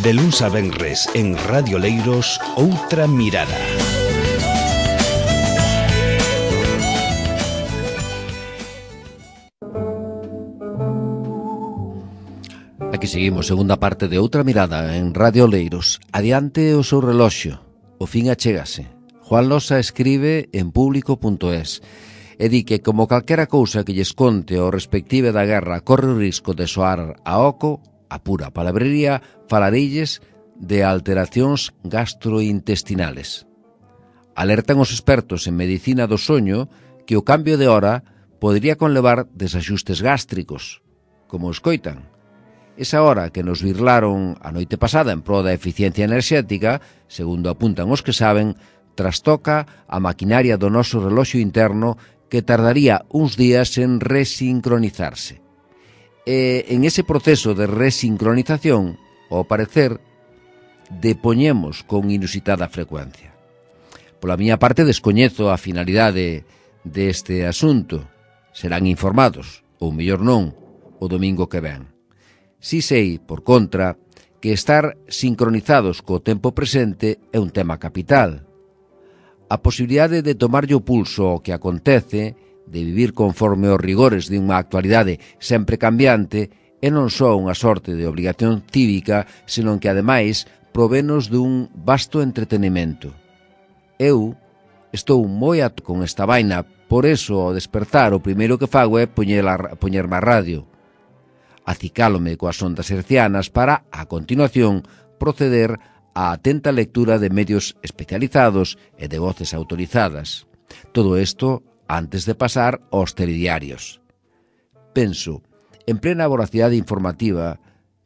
De luns a venres en Radio Leiros, Outra Mirada. Aquí seguimos, segunda parte de Outra Mirada en Radio Leiros. Adiante o seu reloxo, o fin achégase. Juan Losa escribe en público.es e di que, como calquera cousa que lles conte ao respective da guerra corre o risco de soar a oco, a pura palabrería, falareilles de alteracións gastrointestinales. Alertan os expertos en medicina do soño que o cambio de hora podría conlevar desaxustes gástricos, como escoitan. Esa hora que nos virlaron a noite pasada en pro da eficiencia enerxética, segundo apuntan os que saben, trastoca a maquinaria do noso reloxo interno que tardaría uns días en resincronizarse. E en ese proceso de resincronización, ao parecer, depoñemos con inusitada frecuencia. Pola miña parte, descoñezo a finalidade deste asunto. Serán informados, ou mellor non, o domingo que ven. Si sei, por contra, que estar sincronizados co tempo presente é un tema capital. A posibilidade de tomarlle o pulso ao que acontece, de vivir conforme os rigores de unha actualidade sempre cambiante, é non só unha sorte de obrigación cívica, senón que, ademais, provenos dun vasto entretenimento. Eu estou moi ato con esta vaina, por eso, ao despertar, o primeiro que fago é poñerme a radio. Acicálome coas ondas hercianas para, a continuación, proceder a atenta lectura de medios especializados e de voces autorizadas. Todo isto antes de pasar aos telediarios. Penso, en plena voracidade informativa,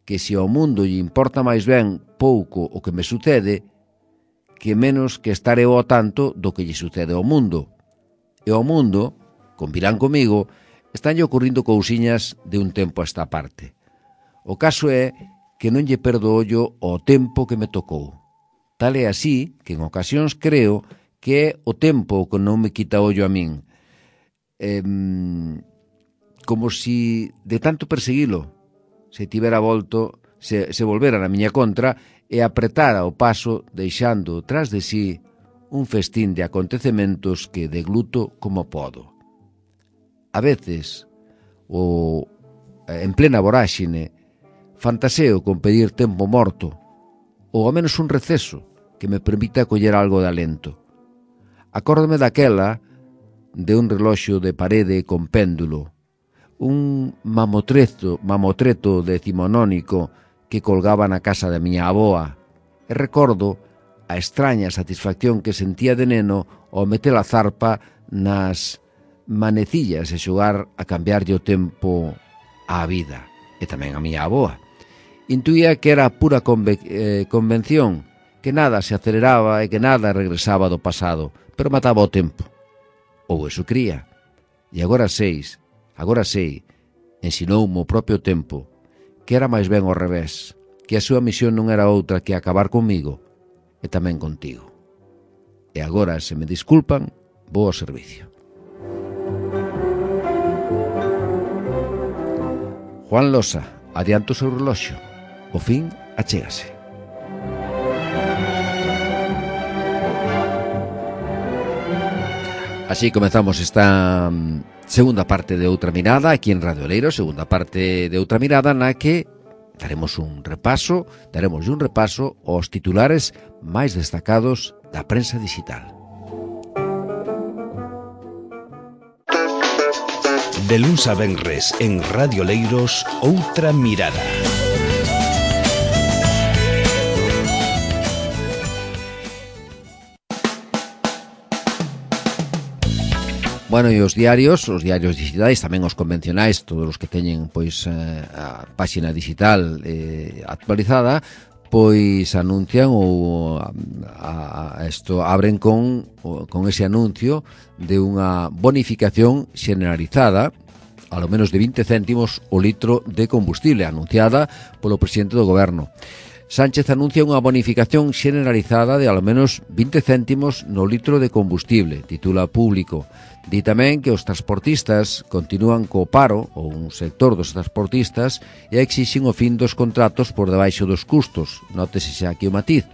que se ao mundo lle importa máis ben pouco o que me sucede, que menos que estar eu ao tanto do que lle sucede ao mundo. E ao mundo, convirán comigo, estanlle ocurrindo cousiñas de un tempo a esta parte. O caso é que non lle perdo ollo ao tempo que me tocou. Tal é así que en ocasións creo que é o tempo que non me quita ollo a min. Como si de tanto perseguilo se tivera volto, se volvera na miña contra e apretara o paso deixando tras de sí un festín de acontecementos que degluto como podo. A veces, en plena voráxine, fantaseo con pedir tempo morto, ou ao menos un receso que me permita coller algo de alento. Acórdome daquela de un reloxo de parede con péndulo, un mamotreto decimonónico que colgaba na casa da miña avoa, e recordo a extraña satisfacción que sentía de neno ao meter a zarpa nas manecillas e xogar a cambiarlle o tempo á vida, e tamén a miña avoa. Intuía que era pura convención, que nada se aceleraba e que nada regresaba do pasado, pero mataba o tempo. Ou eso cría. E agora sei, ensinoume o propio tempo, que era máis ben ao revés, que a súa misión non era outra que acabar comigo e tamén contigo. E agora, se me disculpan, vou ao servicio. Juan Losa, adiante o seu reloxo. O fin achégase. Así comezamos esta segunda parte de Outra Mirada aquí en Radio Leiros, segunda parte de Outra Mirada na que daremos un repaso aos titulares máis destacados da prensa digital. De luns a venres en Radio Leiros, Outra Mirada. Bueno, e os diarios digitais, tamén os convencionais, todos os que teñen pois a páxina digital actualizada, pois anuncian ou abren con ese anuncio de unha bonificación xeneralizada, ao menos de 20 céntimos o litro de combustible, anunciada polo presidente do goberno. Sánchez anuncia unha bonificación xeneralizada de ao menos 20 céntimos no litro de combustible, titula Público. Di tamén que os transportistas continúan co paro, ou un sector dos transportistas, e exixen o fin dos contratos por debaixo dos custos. Nótese xa aquí o matiz.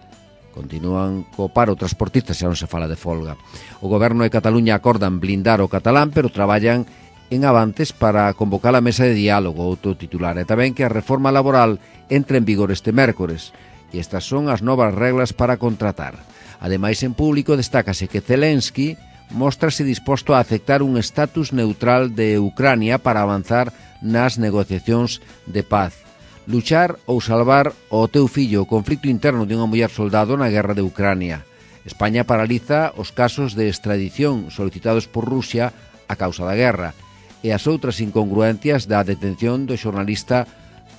Continúan co paro transportistas, xa non se fala de folga. O Goberno de Cataluña acordan blindar o catalán, pero traballan en avantes para convocar a mesa de diálogo, outro titular. E tamén que a reforma laboral entra en vigor este mércores. E estas son as novas reglas para contratar. Ademais, en Público destácase que Zelensky móstrase disposto a aceptar un estatus neutral de Ucrania para avanzar nas negociacións de paz. Luchar ou salvar o teu fillo, o conflito interno de unha muller soldado na guerra de Ucrania. España paraliza os casos de extradición solicitados por Rusia a causa da guerra e as outras incongruencias da detención do xornalista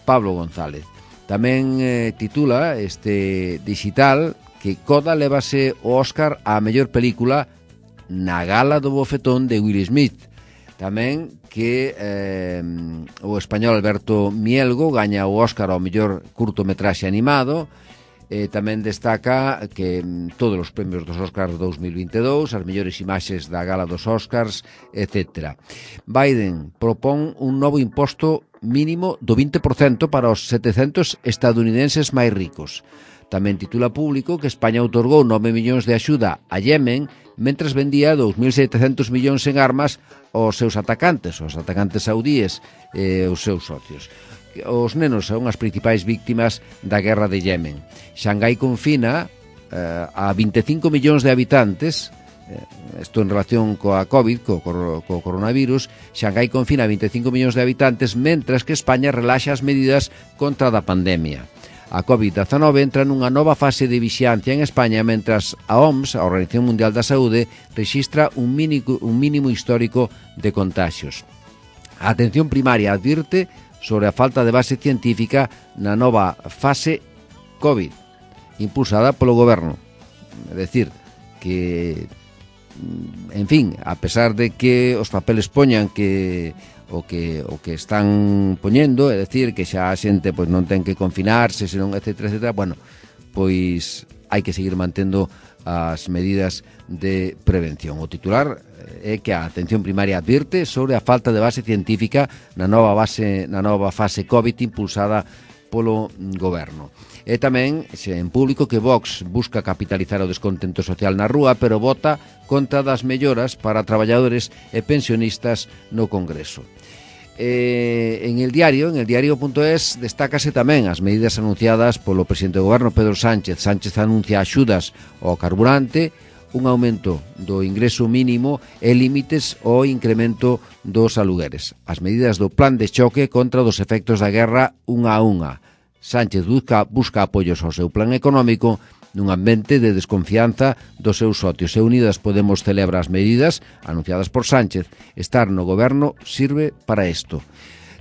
Pablo González. Tamén titula este digital que Coda levase o Óscar á mellor película na gala do bofetón de Will Smith. Tamén que o español Alberto Mielgo gaña o Óscar ao mellor curtometraxe animado. Tamén destaca que todos os premios dos Óscars 2022, as mellores imaxes da gala dos Óscars, etc. Biden propón un novo imposto mínimo do 20% para os 700 estadounidenses máis ricos. Tamén titula Público que España outorgou 9 millóns de axuda a Yemen mentres vendía 2.700 millóns en armas aos seus atacantes, saudíes e os seus socios. Os nenos son as principais víctimas da guerra de Yemen. Xangai confina a 25 millóns de habitantes, isto en relación coa COVID, co coronavirus. Xangai confina a 25 millóns de habitantes, mentras que España relaxa as medidas contra da pandemia. A COVID-19 entra nunha nova fase de vixiancia en España, mentras a OMS, a Organización Mundial da Saúde, rexistra un mínimo histórico de contaxios. A atención primaria advirte sobre a falta de base científica na nova fase COVID, impulsada polo Goberno. É dicir, que, en fin, a pesar de que os papeles poñan que o que están poñendo, é dicir, que xa a xente pois non ten que confinarse, senón, etcétera, bueno, pois hai que seguir mantendo as medidas de prevención. O titular é que a atención primaria advirte sobre a falta de base científica na nova fase COVID impulsada polo Goberno. E tamén en Público que Vox busca capitalizar o descontento social na rúa, pero vota contra das melloras para traballadores e pensionistas no Congreso. En el diario.es destácase tamén as medidas anunciadas polo presidente do Goberno, Pedro Sánchez. Sánchez anuncia axudas ao carburante, un aumento do ingreso mínimo e límites ao incremento dos alugueres. As medidas do plan de choque contra os efectos da guerra unha a unha. Sánchez busca apoios ao seu plan económico nun ambiente de desconfianza dos seus socios. E Unidas Podemos celebra as medidas anunciadas por Sánchez. Estar no goberno sirve para isto.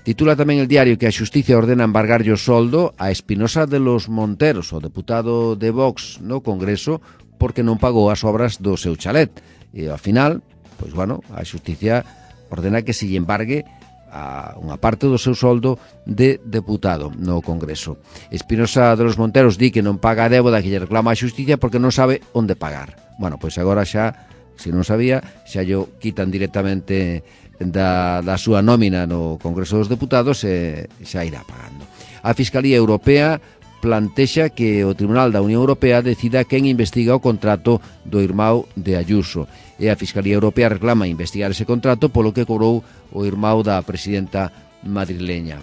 Titula tamén el diario que a Xusticia ordena embargarlle o soldo a Espinosa de los Monteros, o deputado de Vox no Congreso, porque non pagou as obras do seu chalet. E, ao final, pois, bueno, a Xusticia ordena que se lle embargue a unha parte do seu soldo de deputado no Congreso. Espinosa de los Monteros di que non paga a débeda que lle reclama a Xusticia porque non sabe onde pagar. Bueno, pois agora xa, se non sabía, xa yo quitan directamente da súa nómina no Congreso dos Deputados e xa irá pagando. A Fiscalía Europea plantexa que o Tribunal da Unión Europea decida quen investiga o contrato do irmão de Ayuso. E a Fiscalía Europea reclama investigar ese contrato polo que cobrou o irmão da presidenta madrileña.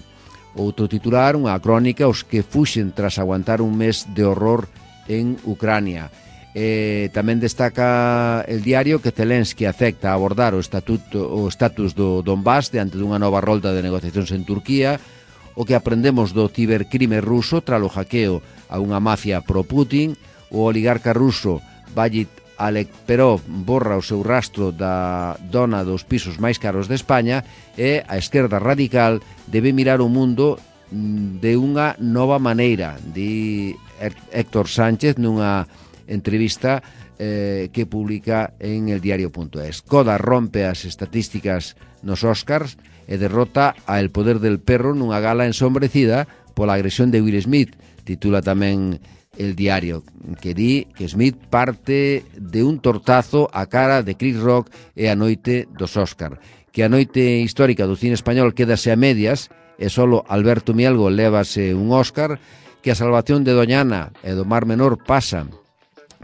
Outro titular, unha crónica, os que fuxen tras aguantar un mes de horror en Ucrania. Tamén destaca el diario que Zelensky acepta abordar o estatus do Donbass diante dunha nova rolda de negociacións en Turquía. O que aprendemos do cibercrime ruso tralo hackeo a unha mafia pro-Putin. O oligarca ruso Vagit Alekperov borra o seu rastro da dona dos pisos máis caros de España. E a esquerda radical debe mirar o mundo de unha nova maneira, di Héctor Sánchez nunha entrevista que publica en el diario.es. Coda rompe as estatísticas nos Óscars e derrota a El Poder del Perro nunha gala ensombrecida pola agresión de Will Smith. titula tamén El Diario, que di que Smith parte de un tortazo a cara de Chris Rock e a noite dos Óscar, que a noite histórica do cine español quedase a medias e solo Alberto Mielgo lévase un Óscar, que a salvación de Doñana e do Mar Menor pasa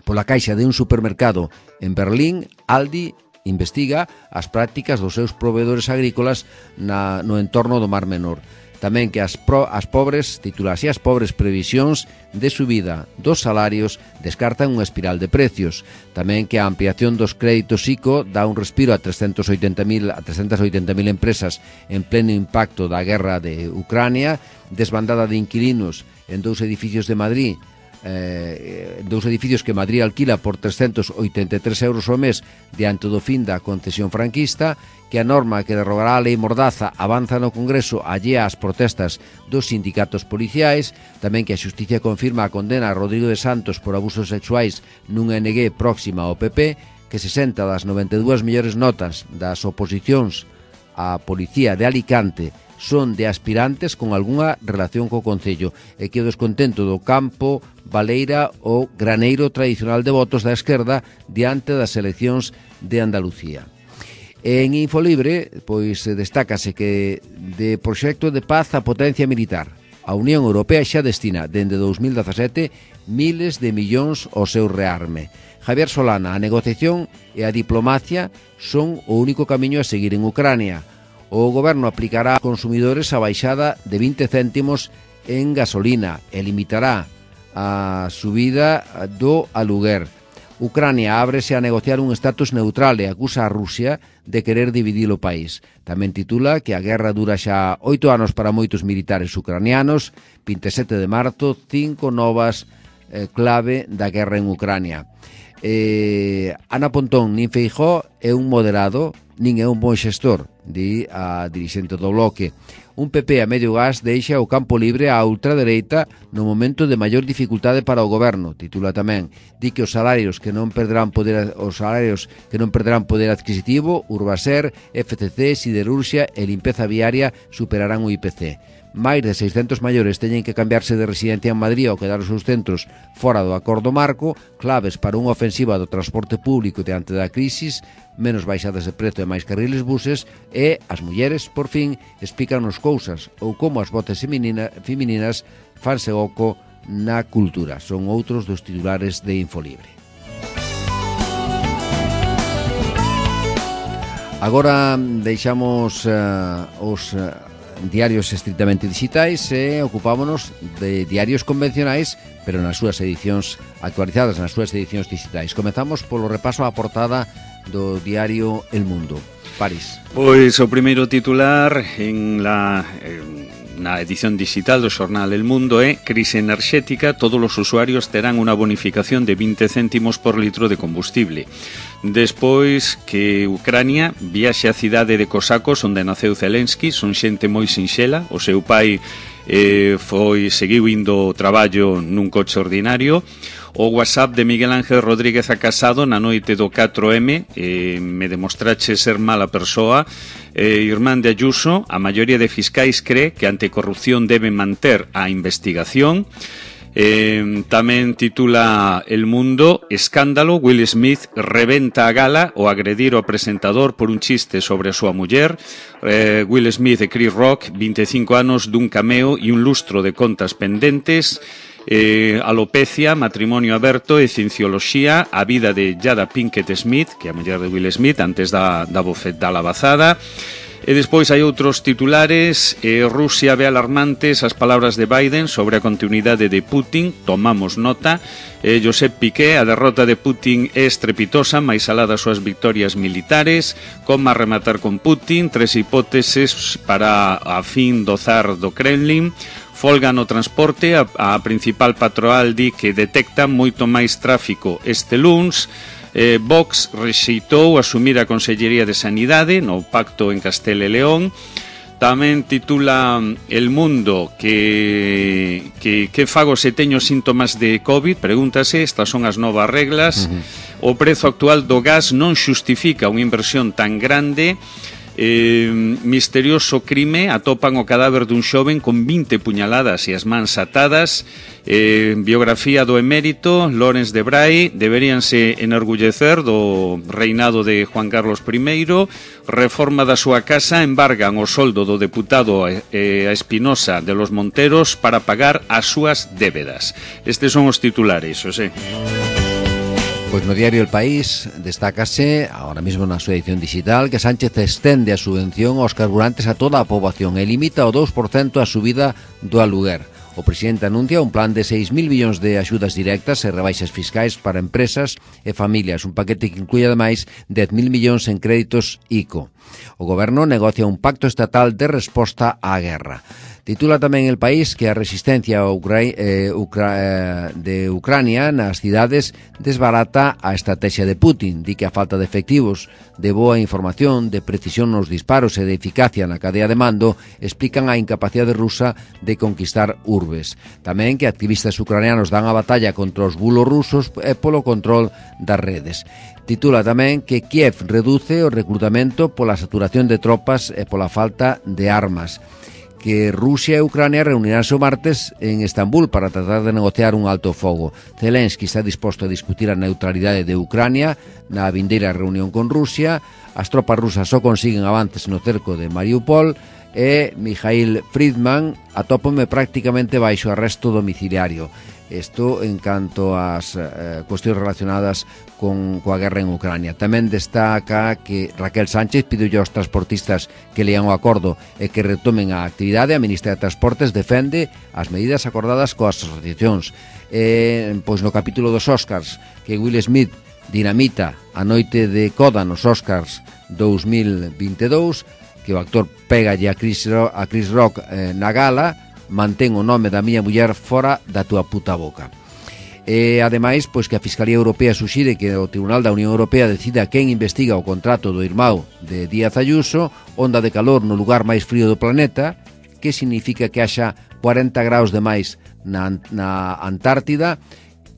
pola caixa de un supermercado en Berlín. Aldi investiga as prácticas dos seus proveedores agrícolas no entorno do Mar Menor. Tamén que as pobres, titula así, as pobres previsións de subida dos salarios descartan unha espiral de precios. Tamén que a ampliación dos créditos ICO dá un respiro a 380.000 empresas en pleno impacto da guerra de Ucrania, desbandada de inquilinos en dous edificios de Madrid, dous edificios que Madrid alquila por 383 euros ao mes diante do fin da concesión franquista, que a norma que derrogará a lei Mordaza avanza no Congreso allea ás protestas dos sindicatos policiais, tamén que a Xusticia confirma a condena a Rodrigo de Santos por abusos sexuais nunha NG próxima ao PP, que 60 das 92 mellores notas das oposicións á Policía de Alicante son de aspirantes con algunha relación co Concello, e que o descontento do campo baleira o graneiro tradicional de votos da esquerda diante das eleccións de Andalucía. En Infolibre, pois destácase que de proxecto de paz a potencia militar, a Unión Europea xa destina dende 2017 miles de millóns ao seu rearme. Javier Solana, a negociación e a diplomacia son o único camiño a seguir en Ucrania. O goberno aplicará a consumidores a baixada de 20 céntimos en gasolina e limitará a subida do aluguer. Ucrania ábrese a negociar un estatus neutral e acusa a Rusia de querer dividir o país. Tamén titula que a guerra dura xa 8 anos para moitos militares ucranianos. 27 de marzo, 5 novas clave da guerra en Ucrania. Ana Pontón, nin Feijóo é un moderado, nin é un bon xestor, di a dirixente do Bloque. Un PP a medio gas deixa o campo libre á ultradereita no momento de maior dificultade para o goberno, titula tamén. Di que os salarios que non perderán poder adquisitivo, Urbaser, FCC, Siderurxia e limpeza viaria superarán o IPC. Máis de 600 maiores teñen que cambiarse de residencia en Madrid ou quedar os seus centros fora do acordo marco, claves para unha ofensiva do transporte público diante da crisis, menos baixadas de prezo e máis carriles buses, e as mulleres, por fin, explícanos cousas ou como as voces femininas fanse oco na cultura. Son outros dos titulares de Infolibre. Agora deixamos os diarios estritamente digitais e ocupámonos de diarios convencionais, pero nas súas edicións actualizadas, nas súas edicións digitais. Comezamos polo repaso á portada do diario El Mundo. París. Pois o primeiro titular na edición digital do xornal El Mundo é: crise enerxética, todos os usuarios terán unha bonificación de 20 céntimos por litro de combustible. Despois que Ucrania viaxe á cidade de Cosacos, onde naceu Zelensky, son xente moi sinxela. O seu pai seguiu indo ao traballo nun coche ordinario. O WhatsApp de Miguel Ángel Rodríguez a Casado na noite do 4M, me demostrache ser mala persoa. Irmán de Ayuso, a maioría de fiscais cree que a anticorrupción debe manter a investigación. Tamén titula El Mundo: escándalo, Will Smith rebenta a gala ao agredir ao presentador por un chiste sobre a súa muller. Will Smith e Chris Rock, 25 anos dun cameo e un lustro de contas pendentes. Alopecia, matrimonio aberto e ciencioloxía, a vida de Jada Pinkett Smith, que é a muller de Will Smith antes da lavazada. E despois hai outros titulares. Rusia ve alarmantes as palabras de Biden sobre a continuidade de Putin, tomamos nota. Josep Piqué, a derrota de Putin é estrepitosa, máis alá das súas victorias militares. Como rematar con Putin, 3 hipóteses para a fin do zar do Kremlin. Folga no transporte, a principal patronal di que detecta moito máis tráfico este luns. Vox rexeitou asumir a Consellería de Sanidade no pacto en Castela e León. Tamén titula El Mundo que fago se teño síntomas de COVID, pregúntase, estas son as novas reglas. O prezo actual do gas non xustifica unha inversión tan grande. Misterioso crime, atopan o cadáver dun xoven con 20 puñaladas e as mans atadas. Biografía do emérito Lorenz de Bray. Deberíanse enorgullecer do reinado de Juan Carlos I. Reforma da súa casa, embargan o soldo do deputado a Espinosa de los Monteros para pagar as súas débedas. Estes son os titulares, Xosé. Pois no diario El País destácase, ahora mismo na súa edición digital, que Sánchez estende a subvención aos carburantes a toda a poboación e limita o 2% a subida do aluguer. O presidente anuncia un plan de 6.000 millóns de axudas directas e rebaixas fiscais para empresas e familias, un paquete que inclui ademais 10.000 millóns en créditos ICO. O goberno negocia un pacto estatal de resposta á guerra. Titula tamén El País que a resistencia de Ucrania nas cidades desbarata a estrategia de Putin. Di que a falta de efectivos, de boa información, de precisión nos disparos e de eficacia na cadea de mando explican a incapacidade rusa de conquistar urbes. Tamén que activistas ucranianos dan a batalla contra os bulos rusos e polo control das redes. Titula tamén que Kiev reduce o reclutamento pola saturación de tropas e pola falta de armas. Que Rusia e Ucrania reuniránse o martes en Estambul para tratar de negociar un alto fogo. Zelensky está disposto a discutir a neutralidade de Ucrania na vindeira reunión con Rusia. As tropas rusas só consiguen avances no cerco de Mariupol e Mikhail Friedman atópome prácticamente baixo arresto domiciliario. Isto en canto ás cuestións relacionadas coa guerra en Ucrania. Tamén destaca que Raquel Sánchez pideulle aos transportistas que lean o acordo e que retomen a actividade. A ministra de Transportes defende as medidas acordadas coas asociacións. Pois no capítulo dos Oscars, que Will Smith dinamita a noite de coda nos Oscars 2022, que o actor pégalle a Chris Rock na gala, mantén o nome da miña muller fora da túa puta boca. E, ademais, pois que a Fiscalía Europea suxire que o Tribunal da Unión Europea decida quen investiga o contrato do irmão de Díaz Ayuso, onda de calor no lugar máis frío do planeta, que significa que haxa 40 graus de máis na Antártida.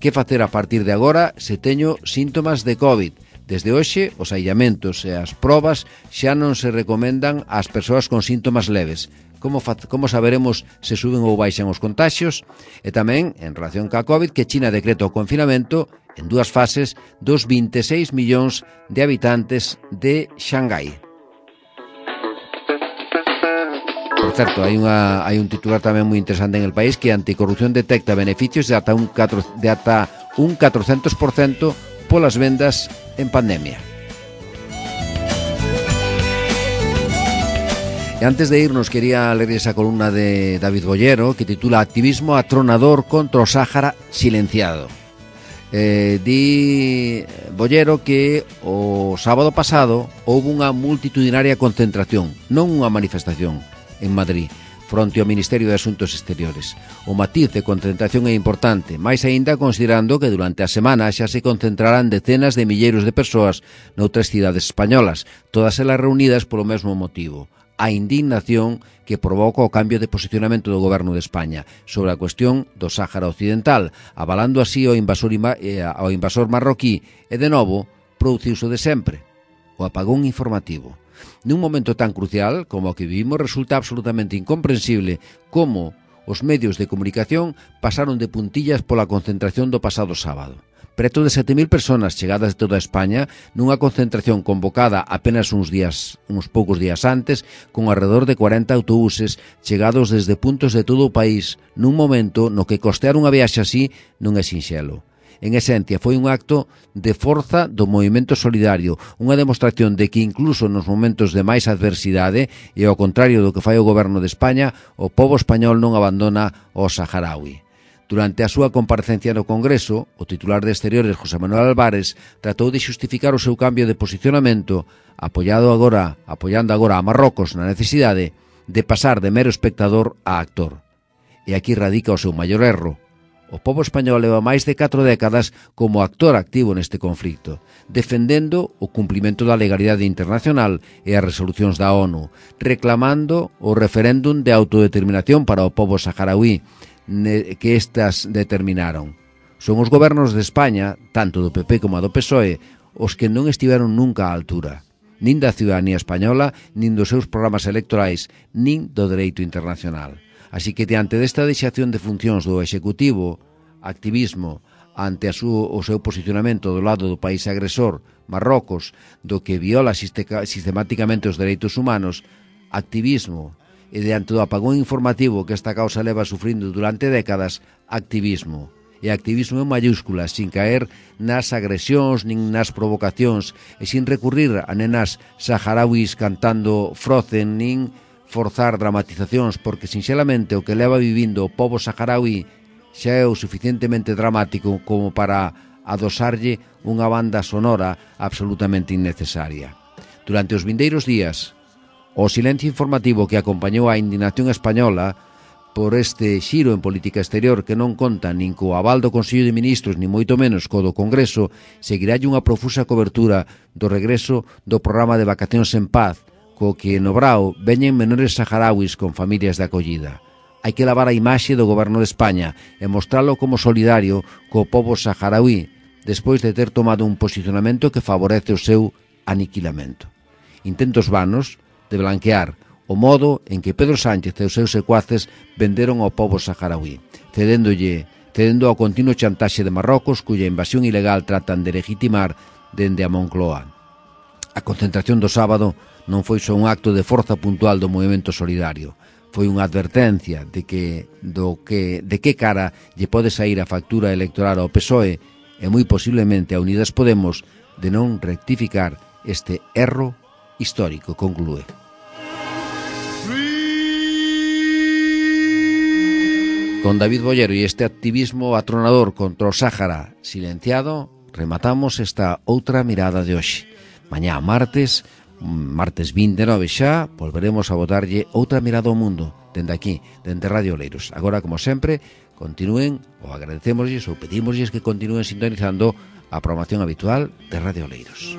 Que facer a partir de agora se teño síntomas de COVID? Desde hoxe, os aillamentos e as probas xa non se recomendan ás persoas con síntomas leves. Como saberemos se suben ou baixan os contaxios? E tamén, en relación ca COVID, que China decreta o confinamento en 2 fases dos 26 millóns de habitantes de Xangai. Por certo, hai un titular tamén moi interesante en El País que Anticorrupción detecta beneficios de ata un 400% polas vendas en pandemia. E antes de irnos quería ler esa columna de David Bollero que titula Activismo atronador contra o Sáhara silenciado. Di Bollero que o sábado pasado houve unha multitudinaria concentración, non unha manifestación, en Madrid, fronte ao Ministerio de Asuntos Exteriores. O matiz de concentración é importante, máis aínda considerando que durante a semana xa se concentrarán decenas de milleiros de persoas noutras cidades españolas, todas elas reunidas polo mesmo motivo, a indignación que provoca o cambio de posicionamento do Goberno de España sobre a cuestión do Sáhara Occidental, avalando así ao invasor marroquí e, de novo, produciuse de sempre, o apagón informativo. Nun momento tan crucial como o que vivimos resulta absolutamente incomprensible como os medios de comunicación pasaron de puntillas pola concentración do pasado sábado. Preto de 7.000 personas chegadas de toda España nunha concentración convocada apenas uns poucos días antes, con alrededor de 40 autobuses chegados desde puntos de todo o país nun momento no que costear unha viaxe así non é sinxelo. En esencia, foi un acto de forza do movimento solidario, unha demostración de que incluso nos momentos de máis adversidade e ao contrario do que fai o Goberno de España, o pobo español non abandona o saharaui. Durante a súa comparecencia no Congreso, o titular de Exteriores, José Manuel Álvarez, tratou de xustificar o seu cambio de posicionamento, apoiando agora a Marrocos na necesidade de pasar de mero espectador a actor. E aquí radica o seu maior erro. O pobo español leva máis de 4 décadas como actor activo neste conflicto, defendendo o cumprimento da legalidade internacional e as resolucións da ONU, reclamando o referéndum de autodeterminación para o pobo saharaui, que estas determinaron. Son os gobernos de España, tanto do PP como do PSOE, os que non estiveron nunca á altura. nin da ciudadanía española, nin dos seus programas electorais, nin do dereito internacional. Así que, diante desta deixación de funcións do Executivo, activismo ante o seu posicionamento do lado do país agresor, Marrocos, do que viola sistemáticamente os dereitos humanos, activismo, e diante do apagón informativo que esta causa leva sufrindo durante décadas, activismo. E activismo en mayúsculas, sin caer nas agresións nin nas provocacións e sin recurrir a nenas saharauis cantando Frozen nin forzar dramatizacións, porque sinxelamente o que leva vivindo o pobo saharaui xa é o suficientemente dramático como para adosarlle unha banda sonora absolutamente innecesaria. Durante os vindeiros días, o silencio informativo que acompañou a indignación española por este xiro en política exterior que non conta nin co aval do Consello de Ministros nin moito menos co do Congreso, seguiralle unha profusa cobertura do regreso do programa de vacacións en paz, co que no Brao veñen menores saharauis con familias de acollida. Hai que lavar a imaxe do goberno de España e mostralo como solidario co pobo saharaui, despois de ter tomado un posicionamento que favorece o seu aniquilamento. Intentos vanos de blanquear o modo en que Pedro Sánchez e os seus secuaces venderon ao pobo saharaui, cedendo ao continuo chantaxe de Marrocos, cuya invasión ilegal tratan de legitimar dende a Moncloa. A concentración do sábado non foi só un acto de forza puntual do movimento solidario, foi unha advertencia de que cara lle pode sair a factura electoral ao PSOE e moi posiblemente a Unidas Podemos de non rectificar este erro histórico, conclúe. Con David Bollero e este activismo atronador contra o Sáhara silenciado, rematamos esta outra mirada de hoxe. Mañá, martes 29 xa, volveremos a botarlle outra mirada ao mundo, dende aquí, dende Radio Oleiros. Agora, como sempre, continúen, ou agradecemosles, ou pedimosles que continúen sintonizando a programación habitual de Radio Oleiros.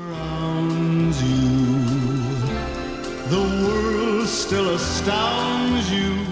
The world still astounds you.